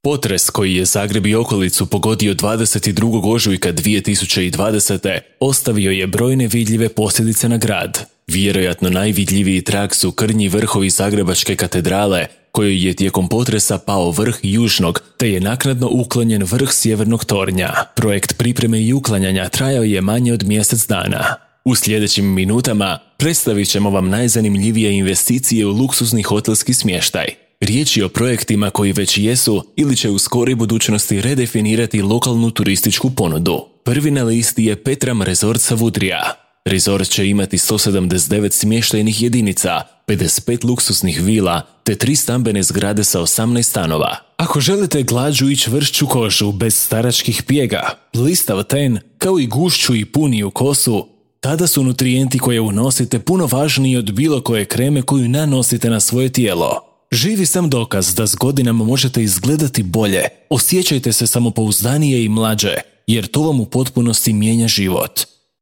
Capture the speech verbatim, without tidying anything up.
Potres koji je Zagreb i okolicu pogodio dvadeset drugog ožujka dvije tisuće dvadesete. ostavio je brojne vidljive posljedice na grad. Vjerojatno najvidljiviji trag su krnji vrhovi Zagrebačke katedrale, kojoj je tijekom potresa pao vrh južnog, te je naknadno uklonjen vrh sjevernog tornja. Projekt pripreme i uklanjanja trajao je manje od mjesec dana. U sljedećim minutama predstavit ćemo vam najzanimljivije investicije u luksuzni hotelski smještaj. Riječ je o projektima koji već jesu ili će u skoroj budućnosti redefinirati lokalnu turističku ponudu. Prvi na listi je Petram Resort Savudrija. Resort će imati sto sedamdeset devet smještajnih jedinica, pedeset pet luksuznih vila te tri stambene zgrade sa osamnaest stanova. Ako želite glađu i čvršću kožu bez staračkih pjega, blistav ten, kao i gušću i puniju kosu, tada su nutrijenti koje unosite puno važniji od bilo koje kreme koju nanosite na svoje tijelo. Živi sam dokaz da s godinama možete izgledati bolje, osjećajte se samopouzdanije i mlađe, jer to vam u potpunosti mijenja život.